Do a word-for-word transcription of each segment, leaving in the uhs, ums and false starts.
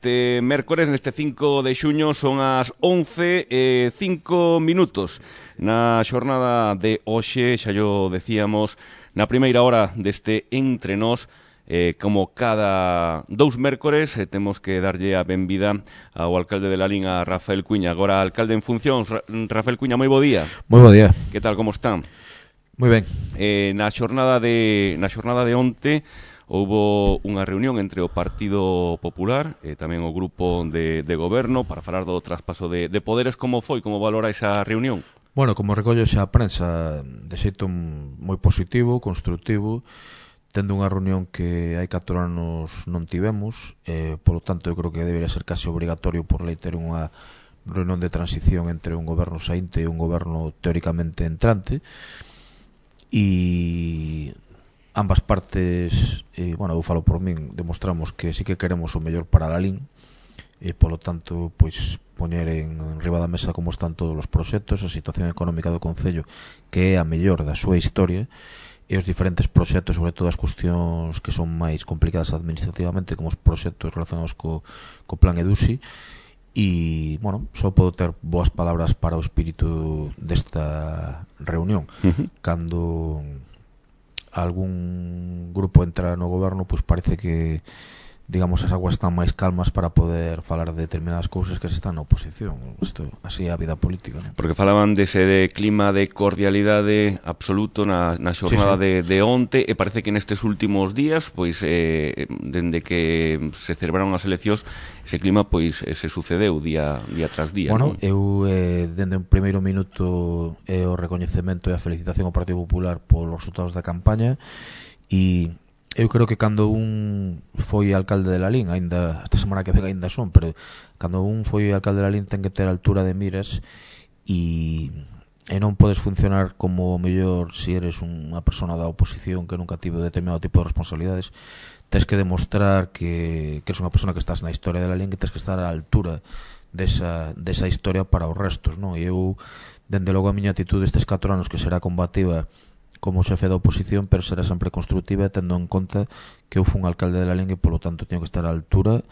neste mércores, neste cinco de xuño, son as once e cinco minutos. Na xornada de hoxe, xa yo decíamos, na primeira hora deste Entre Nós, eh, como cada dous mércores, eh, temos que darlle a benvida ao alcalde de Lalín, a Rafael Cuíña. Agora, alcalde en funcións, Ra Rafael Cuíña, moi bo día. Moi bo día. Que tal, como están? Moi ben. Eh, na xornada de na xornada de onte houbo unha reunión entre o Partido Popular e tamén o grupo de, de goberno para falar do traspaso de, de poderes. Como foi? Como valora esa reunión? Bueno, como recollo xa a prensa, de xeito moi positivo, constructivo, tendo unha reunión que hai catro anos non tivemos, eh, polo tanto, eu creo que debería ser casi obrigatorio por lei ter unha reunión de transición entre un goberno saínte e un goberno teóricamente entrante, e ambas partes, eh, bueno, eu falo por min, demostramos que sí que queremos o mellor para Lalín, e polo tanto, pois, poñer en riba da mesa como están todos os proxectos, a situación económica do Concello, que é a mellor da súa historia, e os diferentes proxectos, sobre todo as cuestións que son máis complicadas administrativamente, como os proxectos relacionados co, co plan EDUSI. E, bueno, só podo ter boas palabras para o espírito desta reunión. Uh-huh. Cando algún grupo entra no goberno, pois parece que, digamos, as aguas están máis calmas para poder falar de determinadas cousas que se están na oposición. Isto, así é a vida política, non? Porque falaban dese de clima de cordialidade absoluto na, na xornada sí, sí. De, de onte, e parece que nestes últimos días, pois, eh, dende que se celebraron as eleccións, ese clima, pois, se sucedeu día, día tras día. Bueno, non? eu, eh, dende un primeiro minuto, é eh, o recoñecemento e a felicitación ao Partido Popular polos resultados da campaña, e eu creo que cando un foi alcalde de Lalín, ainda esta semana que vega ainda son, pero cando un foi alcalde de Lalín ten que ter altura de miras, e, e non podes funcionar como mellor se eres unha persona da oposición que nunca tive determinado tipo de responsabilidades. Tens que demostrar que, que eres unha persona que estás na historia de Lalín, que tens que estar á altura desa, desa historia para os restos, non? E eu, dende logo, a miña actitude estes catro anos, que será combativa como xefe da oposición, pero será sempre constructiva, tendo en conta que eu fui un alcalde de Lalín e, polo tanto, teño que estar á altura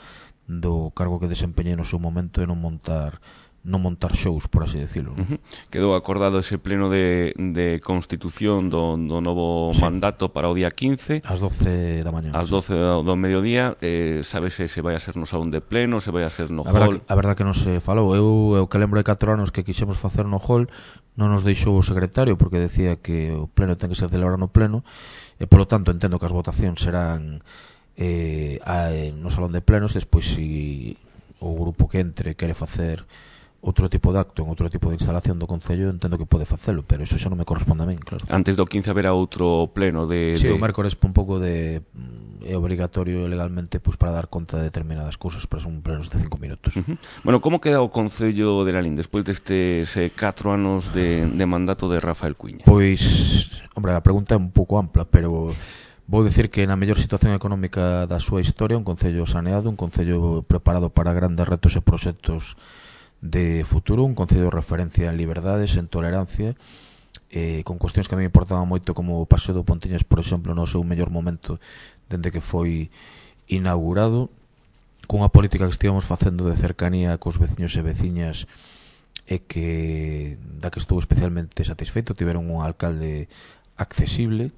do cargo que desempeñei no seu momento e non montar non montar shows, por así decirlo. Uh-huh. Quedou acordado ese pleno de, de constitución do, do novo sí. mandato para o día quince. Ás doce da mañá. Ás doce do, do mediodía. Eh, sabese se vai a ser no salón de pleno, se vai a ser no a hall. Verdad, a verdad que non se falou. Eu, eu que lembro de catro anos que quixemos facer no hall, non nos deixou o secretario, porque decía que o pleno ten que ser celebrado no pleno, e polo tanto entendo que as votacións serán eh, a, no salón de plenos. Despois, se o grupo que entre quere facer outro tipo de acto en outro tipo de instalación do Concello, entendo que pode facelo, pero iso xa non me corresponde a min, claro. Antes do quince haberá outro pleno de... Sí, de... o mércores un pouco de... é obligatorio legalmente, pois, para dar conta de determinadas cousas, pero son plenos de cinco minutos. Uh-huh. Bueno, como queda o Concello de Lalín despois destes eh, catro anos de, de mandato de Rafael Cuíña? Pois, hombre, a pregunta é un pouco ampla, pero vou dicir que na mellor situación económica da súa historia, un Concello saneado, un Concello preparado para grandes retos e proxectos de futuro, un Concello de referencia en liberdades, en tolerancia, eh, con cuestións que a mí me importaban moito, como o Paseo do Pontiñas, por exemplo, no seu mellor momento dende que foi inaugurado, cunha política que estivemos facendo de cercanía cos veciños e veciñas, e que da que estou especialmente satisfeito. Tiveron un alcalde accesible,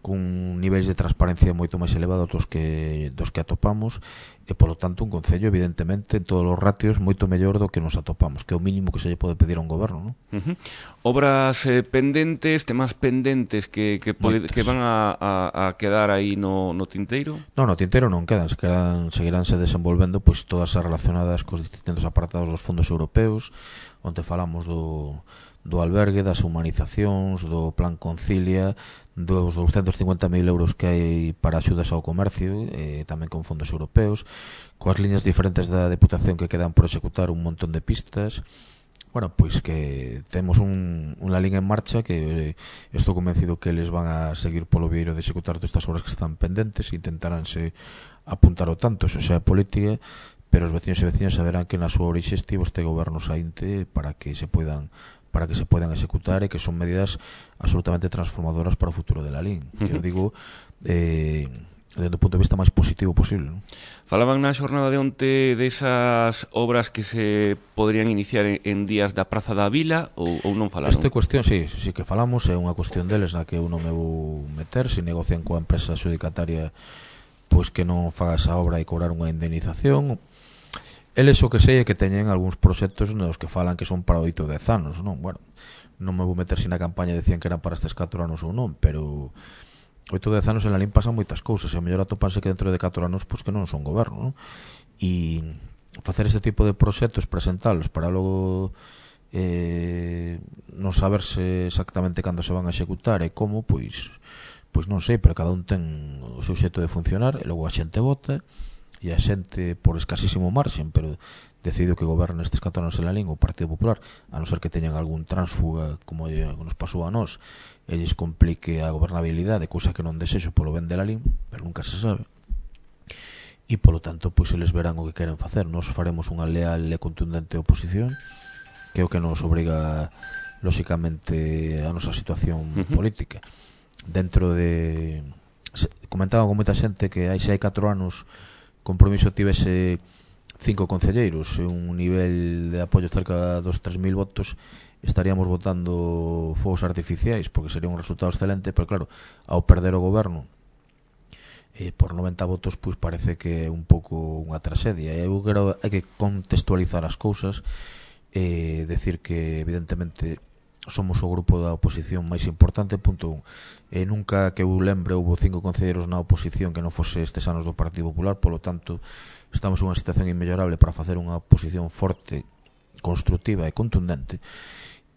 con niveis de transparencia moito máis elevados dos que dos que atopamos, e polo tanto un Concello, evidentemente, en todos os ratios moito mellor do que nos atopamos, que é o mínimo que se lle pode pedir a un goberno, non? Uh-huh. Obras eh, pendentes, temas pendentes que, que, pode, que van a, a, a quedar aí no, no tinteiro? Non, no tinteiro non quedan, se quedan, seguiránse desenvolvendo, pois, todas as relacionadas cos distintos apartados dos fondos europeos, onde falamos do do albergue, das humanizacións, do plan Concilia, dos douscentos e cincuenta mil euros que hai para axudas ao comercio, eh, tamén con fondos europeos, coas liñas diferentes da Deputación que quedan por executar, un montón de pistas. Bueno, pois que temos un, unha liña en marcha que eh, estou convencido que eles van a seguir polo vieiro de executar todas estas obras que están pendentes, e intentaránse apuntar o tanto, eso xa é política, pero os veciños e veciñas saberán que na súa orixe estivo este goberno saínte para que se poidan para que se poidan executar, e que son medidas absolutamente transformadoras para o futuro de Lalín. Uh-huh. Eu digo, eh, desde o punto de vista máis positivo posible, non? Falaban na xornada de onte desas obras que se poderían iniciar en, en días da Praza da Vila ou, ou non falaron? Esta cuestión, sí, sí que falamos, é unha cuestión deles na que eu non me vou meter, se negocian coa empresa adxudicataria pois que non faga esa obra e cobrar unha indemnización. Eles o que sei é que teñen algúns proxectos nos que falan que son para oito dez anos, non? Bueno, non me vou meter se na campaña decían que eran para estes catro anos ou non, pero oito dez anos en Lalín pasan moitas cousas e a mellor atopanse que dentro de catro anos pois que non son goberno, non? E facer este tipo de proxectos, presentalos para logo eh, non saberse exactamente cando se van a executar e como, pois pois non sei, pero cada un ten o seu xeito de funcionar e logo a xente vota e a xente por escasísimo marxen, pero decidiu que goberna estes catro anos en Lalín o Partido Popular, a non ser que teñan algún tránsfuga como nos pasou a nós e lles complique a gobernabilidade, cousa que non desexo polo ben de Lalín, pero nunca se sabe. E polo tanto, pois eles verán o que queren facer. Nos faremos unha leal e contundente oposición, que é o que nos obriga lóxicamente a nosa situación uh-huh. política. Dentro de... Comentaba con moita xente que hai se hai catro anos Compromiso tivese cinco concelleiros e un nivel de apoio cerca dos tres mil votos, estaríamos votando fogos artificiais, porque sería un resultado excelente, pero claro, ao perder o goberno eh, por noventa votos, pois parece que é un pouco unha tragedia. E eu quero, hai que contextualizar as cousas e eh, decir que evidentemente somos o grupo da oposición máis importante, punto un. E nunca que eu lembre houve cinco concelleiros na oposición que non fose estes anos do Partido Popular, polo tanto estamos en unha situación inmellorable para facer unha oposición forte, constructiva e contundente,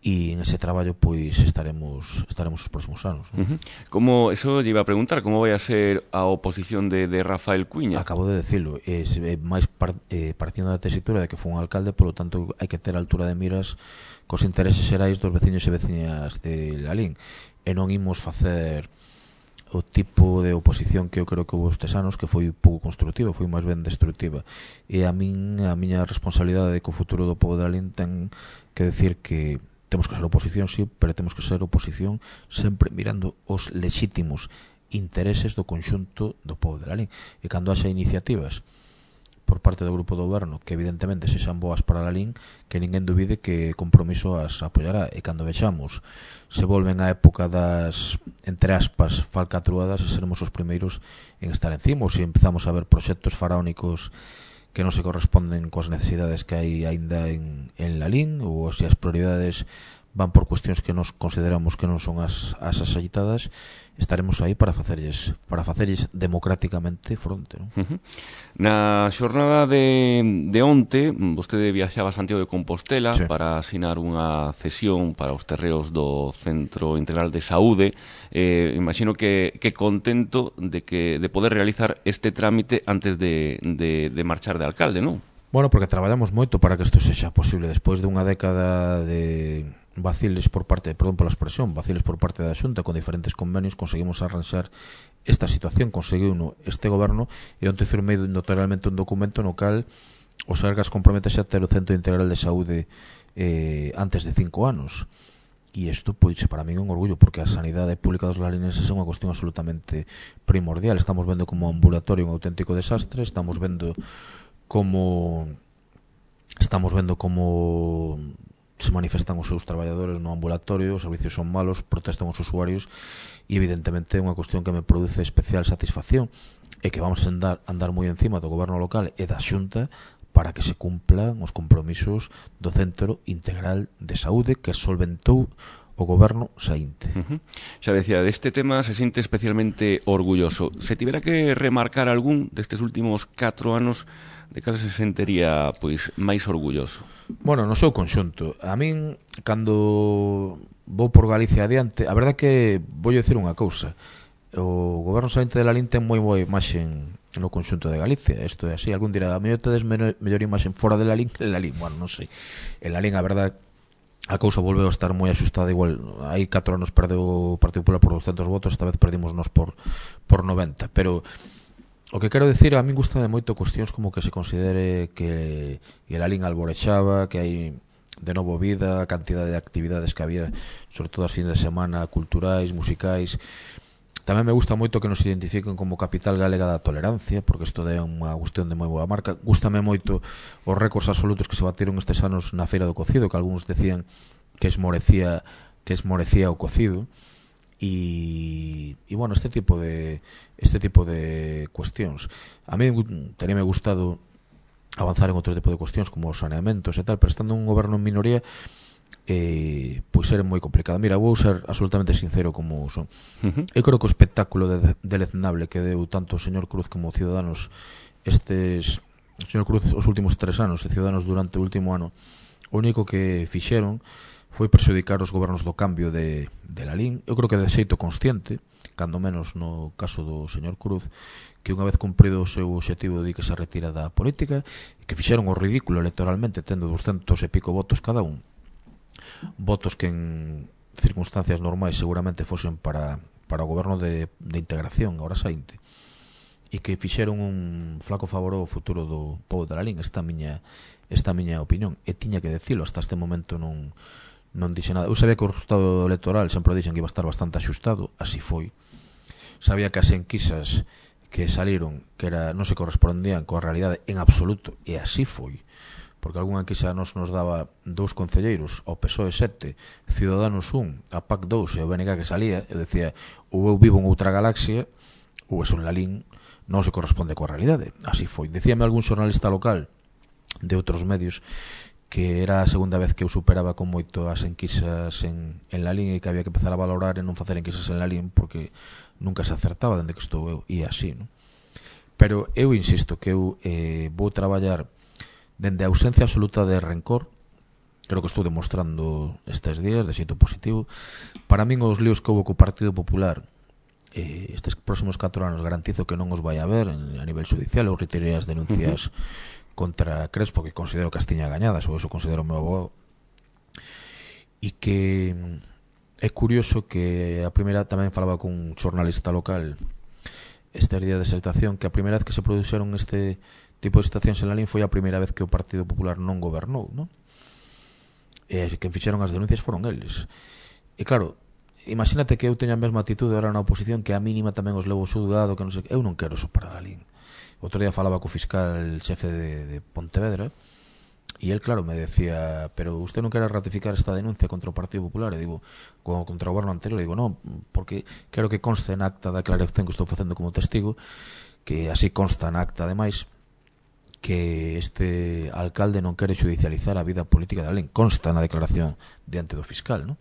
e en ese traballo pois estaremos estaremos os próximos anos, ¿no? Uh-huh. Como, eso lle iba a preguntar, como vai a ser a oposición de, de Rafael Cuíña? Acabo de decirlo, é, é máis par, eh, partindo da tesitura de que foi un alcalde, polo tanto hai que ter a altura de miras cos intereses xerais dos veciños e veciñas de Lalín, e non imos facer o tipo de oposición que eu creo que houve estes anos, que foi pouco constructiva, foi máis ben destructiva, e a min a miña responsabilidade de que o futuro do pobo de Lalín ten que decir que temos que ser oposición, sí, pero temos que ser oposición sempre mirando os lexítimos intereses do conxunto do pobo de Lalín, e cando haxa iniciativas por parte do grupo do goberno que evidentemente sexan boas para Lalín, que ninguén duvide que Compromiso as apoiará, e cando vexamos se volven á época das, entre aspas, falcatruadas, e seremos os primeiros en estar encima, ou se empezamos a ver proxectos faraónicos que non se corresponden coas necesidades que hai aínda en, en Lalín, ou se as prioridades van por cuestións que nos consideramos que non son as, as axeitadas, estaremos aí para facerlles para facerlles democráticamente fronte, non? Uh-huh. Na xornada de, de onte, vostede viaxaba a Santiago de Compostela, sí, para asinar unha cesión para os terreos do Centro Integral de Saúde. Eh, imagino que, que contento de que de poder realizar este trámite antes de, de, de marchar de alcalde, non? Bueno, porque traballamos moito para que isto sexa posible despois de unha década de vaciles por parte, perdón pola expresión, vaciles por parte da Xunta con diferentes convenios, conseguimos arranxar esta situación, conseguiu este goberno, e onte firmei notarialmente un documento no cal o Sergas comprometese a ter o Centro Integral de Saúde eh, antes de cinco anos. E isto, pois, para mí é un orgullo, porque a sanidade pública dos larinenses é unha cuestión absolutamente primordial. Estamos vendo como ambulatorio un auténtico desastre, estamos vendo como estamos vendo como se manifestan os seus traballadores no ambulatorio, os servicios son malos, protestan os usuarios, e evidentemente é unha cuestión que me produce especial satisfacción, e que vamos a andar, andar moi encima do goberno local e da Xunta para que se cumplan os compromisos do Centro Integral de Saúde que solventou o goberno saínte. Uh-huh. Xa decía, deste tema se sinte especialmente orgulloso. Se tivera que remarcar algún destes últimos catro anos, de cal se sentiría pois máis orgulloso? Bueno, no seu conxunto. A min, cando vou por Galicia adiante, a verdade que vou dicir unha cousa. O goberno saínte de Lalín ten moi boa imaxe no conxunto de Galicia. Isto é así. Algún dirá, a mellor tedes mellor imaxe fora de Lalín que en Lalín. Bueno, non sei. En Lalín, a verdade, a cousa volveu a estar moi axustada. Igual, hai catro anos perdeu o Partido Popular por doscentos votos, esta vez perdimos nos por, por noventa. Pero o que quero decir, a min gusta de moito cuestións como que se considere que el Lalín alborexaba, que hai de novo vida, a cantidade de actividades que había, sobre todo as fines de semana, culturais, musicais. Tamén me gusta moito que nos identifiquen como capital galega da tolerancia, porque isto é unha cuestión de moi boa marca. Gústame moito os récords absolutos que se bateron estes anos na Feira do Cocido, que algúns decían que esmorecía que esmorecía o cocido. E, e bueno, este tipo de este tipo de cuestións a mí teríame gustado avanzar en outro tipo de cuestións como os saneamentos e tal, pero estando un goberno en minoría eh, pois era moi complicado. Mira, vou ser absolutamente sincero como son. Uh-huh. Eu creo que o espectáculo de, deleznable que deu tanto o señor Cruz como o Ciudadanos estes o señor Cruz os últimos tres anos e Ciudadanos durante o último ano, o único que fixeron foi perxudicar os gobernos do cambio de, de Lalín. Eu creo que de xeito consciente, cando menos no caso do señor Cruz, que unha vez cumprido o seu obxectivo de que se retira da política, e que fixeron o ridículo electoralmente tendo doscientos e pico votos cada un, votos que en circunstancias normais seguramente fosen para, para o goberno de, de integración ahora saínte, e que fixeron un flaco favor ao futuro do povo de Lalín. Esta miña esta miña opinión, e tiña que decilo, hasta este momento non non dixe nada. Eu sabía que o resultado electoral sempre dixen que iba a estar bastante axustado, así foi. Sabía que as enquisas que saliron que era non se correspondían coa realidade en absoluto, e así foi, porque algunha enquisa nos nos daba dous concelleiros, ao P S O E sete, Ciudadanos un, a P A C dous e o B N G que salía, e decía, ou eu vivo en outra galaxia ou eso en Lalín non se corresponde coa realidade. Así foi. Decíame algún xornalista local de outros medios que era a segunda vez que eu superaba con moito as enquisas en, en Lalín, e que había que empezar a valorar e non facer enquisas en Lalín porque nunca se acertaba dende que estou eu, e así, non? Pero eu insisto que eu eh, vou traballar dende a ausencia absoluta de rencor. Creo que estou demostrando estes días de xeito positivo. Para min os líos que houve co Partido Popular eh, estes próximos catro anos garantizo que non os vai haber en, a nivel judicial. Eu retirei as denuncias uh-huh. contra Crespo, que considero que as tiña gañadas, ou eso considero o meu abogado, e que é curioso que a primeira, tamén falaba con un xornalista local este día de situación, que a primeira vez que se produxeron este tipo de situacións en Lalín foi a primeira vez que o Partido Popular non gobernou, non? E quen fixeron as denuncias foron eles. E claro, imagínate que eu teña a mesma atitude ahora na oposición, que a mínima tamén os levo xulgado, que non sei, eu non quero eso para Lalín. Outro día falaba co fiscal xefe de, de Pontevedra, e el, claro, me decía, pero usted non quere ratificar esta denuncia contra o Partido Popular? E digo, contra o goberno anterior? E digo, non, porque quero que conste na acta da aclaración que estou facendo como testigo, que así consta na acta, ademais, que este alcalde non quere judicializar a vida política de Lalín. Consta na declaración diante do fiscal, non?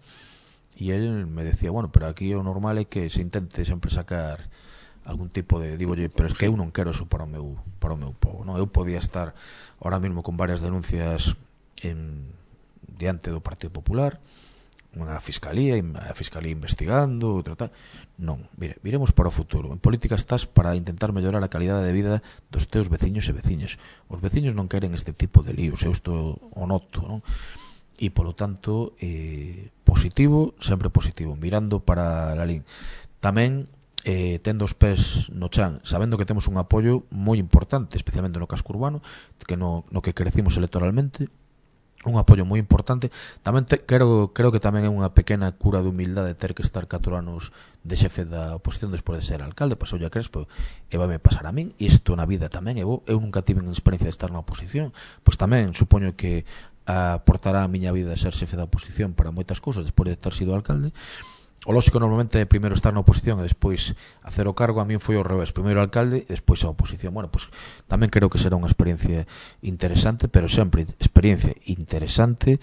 E el me decía, bueno, pero aquí o normal é que se intente sempre sacar algún tipo de, digo, pero es que eu non quero eso para o meu para o meu povo, non? Eu podía estar ahora mesmo con varias denuncias en diante do Partido Popular, unha fiscalía, a fiscalía investigando, outra tal. Non, mire, viremos para o futuro. En política estás para intentar mellorar a calidade de vida dos teus veciños e veciñas. Os veciños non queren este tipo de líos, eu isto o noto, non? E polo tanto, eh, positivo, sempre positivo, mirando para Lalín. Tamén eh, tendo os pés no chan, sabendo que temos un apoio moi importante, especialmente no casco urbano, que no, no que crecimos electoralmente, un apoio moi importante. Tamén te, creo, creo que tamén é unha pequena cura de humildade ter que estar catro anos de xefe da oposición despois de ser alcalde. Pasou a Crespo e vai me pasar a min, e isto na vida tamén é bo. Eu nunca tive experiencia de estar na oposición, pois tamén supoño que aportará a miña vida ser xefe da oposición para moitas cousas despois de ter sido alcalde. O lógico normalmente é primeiro estar na oposición e despois hacer o cargo. A min foi ao revés, primeiro alcalde e despois a oposición. Bueno, pois tamén creo que será unha experiencia interesante, pero sempre experiencia interesante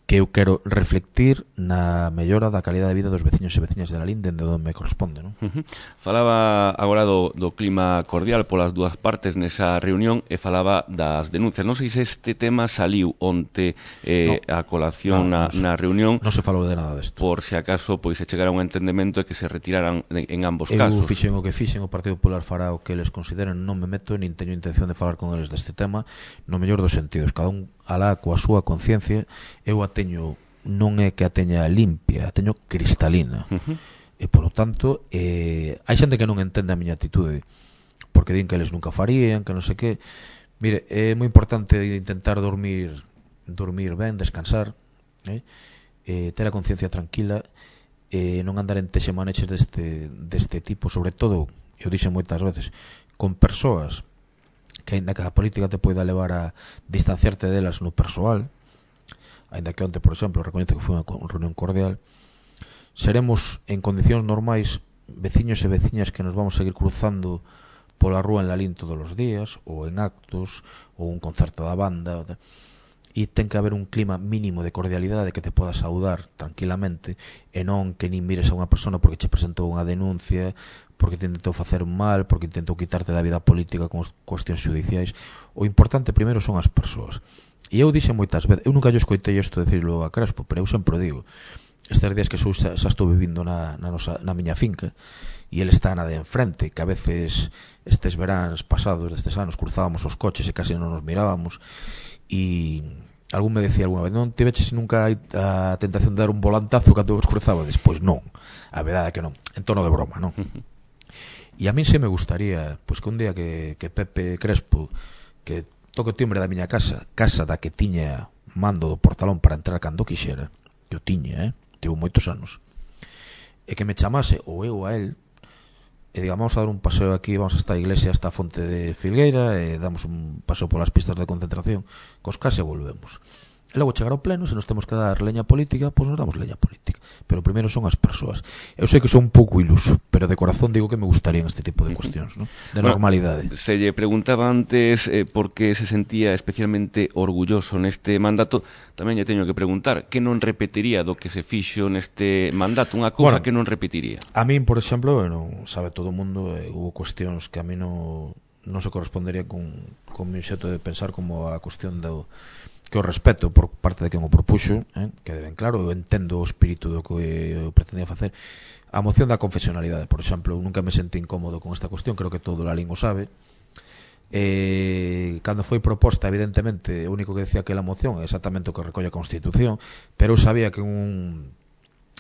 que eu quero reflectir na mellora da calidade de vida dos veciños e veciñas de Lalín dende onde me corresponde, non? Uh-huh. Falaba agora do, do clima cordial polas dúas partes nesa reunión e falaba das denuncias. Non sei se este tema saliu onte eh, no. a colación no, na, no, na reunión. Non se falou de nada desto. Por se acaso pois se chegara a un entendemento e que se retiraran en, en ambos eu casos. Eu fixen o que fixen, o Partido Popular fará o que eles consideren, non me meto, nin teño intención de falar con eles deste tema, no mellor dos sentidos. Cada un alá coa súa conciencia. Eu a teño, non é que a teña limpia, a teño cristalina. Uh-huh. E polo tanto, eh, hai xente que non entende a miña atitude, porque din que eles nunca farían, que non sei que. Mire, é moi importante intentar dormir dormir ben, descansar, eh? Eh, ter a conciencia tranquila e non andar en texemaneches deste, deste tipo, sobre todo, eu dixen moitas veces, con persoas que aínda que a política te poida levar a distanciarte delas no persoal, aínda que onte, por exemplo, recoñezo que foi unha reunión cordial, seremos en condicións normais veciños e veciñas que nos vamos seguir cruzando pola rúa en Lalín todos os días, ou en actos, ou un concerto da banda, e ten que haber un clima mínimo de cordialidade que te podas saudar tranquilamente, e non que nin mires a unha persona porque che presentou unha denuncia, porque te intentou facer un mal, porque intentou quitarte da vida política con cuestións judiciais. O importante primeiro son as persoas. E eu dixen moitas veces, eu nunca yo escoitei isto decirlo a Crespo, pero eu sempre o digo, estes días que xa, xa estou vivindo na, na, nosa, na miña finca, e ele está na de enfrente, que a veces estes veráns pasados destes anos cruzábamos os coches e casi non nos mirábamos, e algún me decía alguna vez, non te veches nunca a tentación de dar un volantazo cando vos cruzaba? Despois non, a verdade é que non, en tono de broma, non? E a min se me gustaría, pois que un día que, que Pepe Crespo, que toque o timbre da miña casa, casa da que tiña mando do portalón para entrar cando quixera, que o tiña, eh? Tivo moitos anos, e que me chamase, ou eu a él, e diga, vamos a dar un paseo aquí, vamos a esta iglesia, hasta a fonte de Filgueira, e damos un paseo polas pistas de concentración, cos case volvemos. E logo chegar ao pleno, se nos temos que dar leña política, pois nos damos leña política. Pero primeiro son as persoas. Eu sei que son un pouco iluso, pero de corazón digo que me gustarían este tipo de cuestións, ¿no? De bueno, normalidade. Se lle preguntaba antes eh, por que se sentía especialmente orgulloso neste mandato, tamén lle teño que preguntar que non repetiría do que se fixo neste mandato, unha cousa bueno, que non repetiría. A min, por exemplo, non sabe todo o mundo, eh, hubo cuestións que a mí non, non se correspondería con, con mi xeito de pensar, como a cuestión do que o respeto por parte de quen o propuxo, eh, que deben claro, eu entendo o espírito do que eu pretendía facer. A moción da confesionalidade, por exemplo, eu nunca me sentí incómodo con esta cuestión, creo que todo o Lalín o sabe. Eh, cando foi proposta, evidentemente, o único que decía que la moción é exactamente o que recolle a Constitución, pero eu sabía que un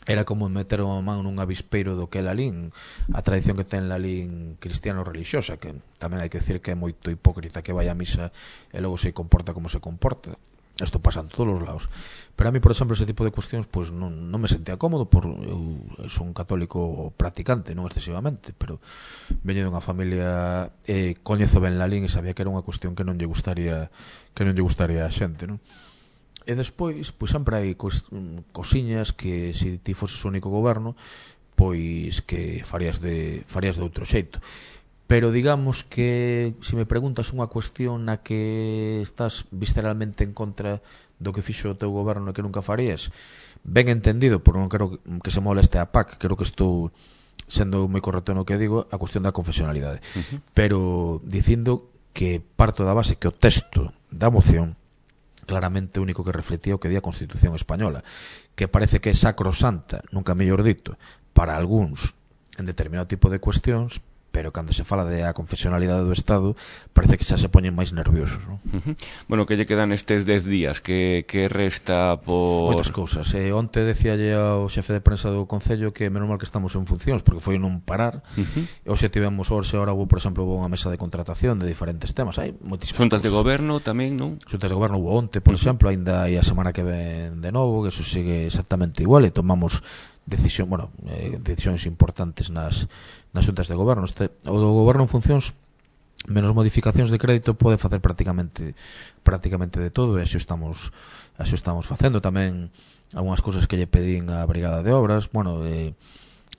era como meter a man nun avispeiro do que é Lalín, a tradición que ten Lalín cristiano-religiosa, que tamén hai que decir que é moito hipócrita que vai a misa e logo se comporta como se comporta. Isto pasa en todos os lados. Pero a mí, por exemplo, ese tipo de cuestións pues, non, non me sentía cómodo, por eu son un católico practicante, non excesivamente, pero veño dunha familia, eh, coñezo ben Lalín e sabía que era unha cuestión que non lle gustaría que non lle gustaría a xente, non? E despois, pois sempre hai cos, cosiñas que se ti foses o único goberno, pois que farías de farías de outro xeito. Pero digamos que se me preguntas unha cuestión na que estás visceralmente en contra do que fixo o teu goberno e que nunca farías, ben entendido, porque non quero que se moleste a P A C, creo que estou sendo moi correcto no que digo, a cuestión da confesionalidade. Uh-huh. Pero dicindo que parto da base que o texto da moción claramente o único que reflectía o que di a Constitución española, que parece que é sacrosanta, nunca mellor dito, para algúns en determinado tipo de cuestións, pero cando se fala de a confesionalidade do Estado parece que xa se poñen máis nerviosos, non? Uh-huh. Bueno, que lle quedan estes dez días que, que resta por... Moitas cousas. Eh, onte decíalle ao xefe de prensa do Concello que menos mal que estamos en funcións, porque foi non parar. Uh-huh. Hoxe tivemos hoxe, ahora, por exemplo, hubo unha mesa de contratación de diferentes temas. Hai moitísimas Xuntas cousas. de goberno tamén, non? Xuntas de goberno hubo onte, por uh-huh. exemplo, ainda hai a semana que ven de novo, que eso sigue exactamente igual, e tomamos decisión, bueno, eh, decisións importantes nas nas xuntas de goberno. Este, o do goberno en funcións, menos modificacións de crédito, pode facer prácticamente prácticamente de todo, e así estamos así estamos facendo. Tamén algunhas cousas que lle pedín á Brigada de Obras, bueno, eh,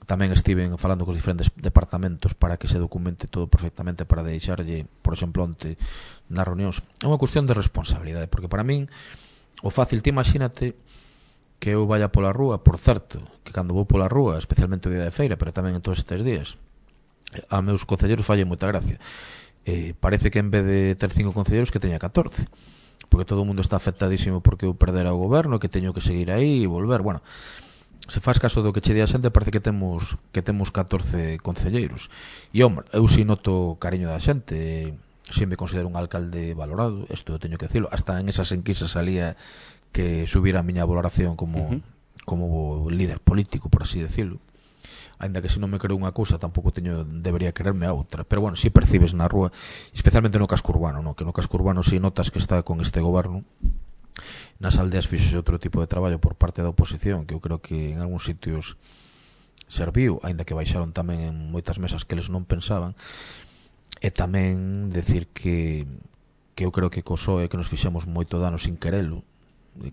tamén estiven falando cos diferentes departamentos para que se documente todo perfectamente, para deixarlle, por exemplo, onte nas reunións. É unha cuestión de responsabilidade, porque para min o fácil, ti imagínate que eu vaya pola rúa, por certo, que cando vou pola rúa, especialmente o día de feira, pero tamén en todos estes días, a meus concelleros falle moita gracia. Eh, parece que en vez de ter cinco concelleros que teña catorce, porque todo o mundo está afectadísimo porque eu perdera o goberno, que teño que seguir aí e volver. Bueno, se faz caso do que che di a xente, parece que temos que temos catorce concelleiros. E, hombre, eu si noto cariño da xente, si me considero un alcalde valorado, isto teño que decirlo, hasta en esas enquisas salía que subira a miña valoración como, uh-huh. como líder político, por así decirlo. Ainda que se non me creo unha cousa, tampouco teño debería quererme a outra. Pero bueno, si percibes na rúa, especialmente no casco urbano, no? Que no casco urbano si notas que está con este goberno. Nas aldeas fixose outro tipo de traballo por parte da oposición, que eu creo que en algúns sitios serviu, aínda que baixaron tamén en moitas mesas que eles non pensaban. E tamén decir que que eu creo que co P S O E que nos fixemos moito dano sin querelo,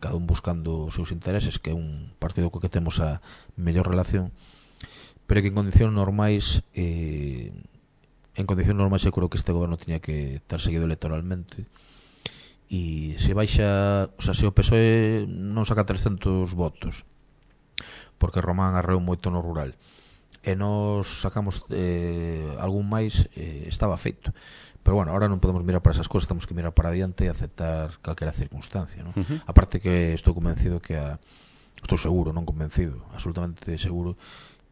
cada un buscando os seus intereses, que é un partido co que temos a mellor relación, pero que en condicións normais eh, en condicións normais eu creo que este goberno tiña que estar seguido electoralmente, e se baixa, o sea, se o P S O E non saca trescentos votos porque Román arreou moito no rural e nos sacamos eh, algún máis, eh, estaba feito. Pero bueno, ahora non podemos mirar para esas cosas, temos que mirar para adiante e aceptar calquera circunstancia, ¿no? Uh-huh. Aparte que estou convencido que a, estou seguro, non convencido, absolutamente seguro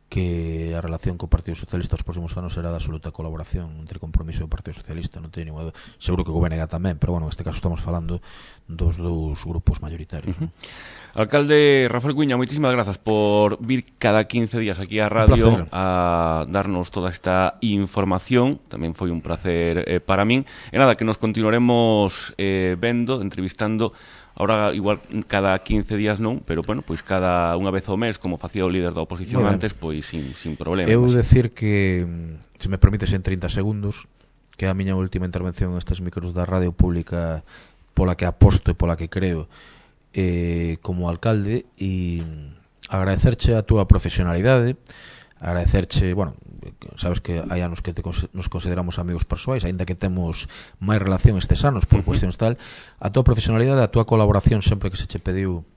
que a relación co Partido Socialista os próximos anos será de absoluta colaboración entre Compromiso e o Partido Socialista, non teño ningún... Seguro que o B N G tamén, pero bueno, en este caso estamos falando dos dous grupos mayoritarios. Uh-huh. ¿No? Alcalde Rafael Cuiña, moitísimas grazas por vir cada quince días aquí á radio a darnos toda esta información. Tamén foi un placer eh, para min. E nada, que nos continuaremos eh, vendo, entrevistando. Ahora igual cada quince días non, pero bueno, pois cada unha vez ao mes, como facía o líder da oposición antes, pois sin, sin problema. Eu decir que, se me permites en trinta segundos, que é a miña última intervención nestes micros da radio pública pola que aposto e pola que creo eh, como alcalde, e agradecerche a túa profesionalidade, agradecerche, bueno, sabes que hai anos que te, nos consideramos amigos persoais, aínda que temos máis relación estes anos por uh-huh. cuestións tal, a tua profesionalidade, a tua colaboración sempre que se che pediu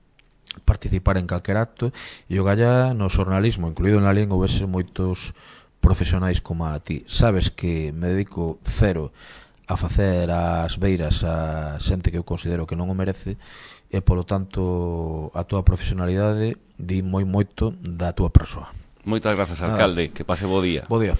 participar en calquer acto, e o galla no xornalismo, incluído na lingua, houvese moitos profesionais como a ti. Sabes que me dedico cero a facer as beiras a xente que eu considero que non o merece, e polo tanto a tua profesionalidade di moi moito da tua persoa. Moitas grazas, alcalde. Nada. Que pase bo día. Bo día.